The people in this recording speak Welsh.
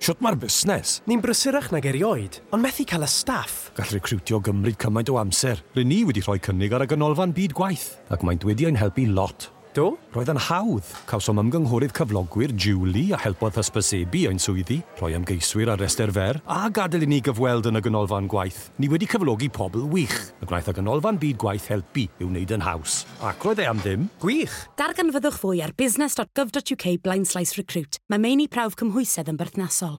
Shwt mae'r busnes? Ni'n brysurach nag erioed, ond methu cael y staff. Gall recriwtio gymryd cymaint o amser. Rŷn ni wedi rhoi cynnig ar y Ganolfan Byd Gwaith, ac maent wedi ein helpu lot. Do? Roedd yn hawdd. Cawsom ymgynghorydd cyflogwyr, Julie, a helpodd hysbysebu ein swyddi, rhoi ymgeiswyr ar restr fer, a gadael i ni gyfweld yn y Ganolfan Gwaith. Ni wedi cyflogi pobl wych, a gwnaeth y Ganolfan Byd Gwaith helpu i'w wneud yn haws. Ac roedd e am ddim. Gwych! Darganfyddwch fwy ar business.gov.uk blaenslaes recruit. Mae meini prawf cymhwysedd yn berthnasol.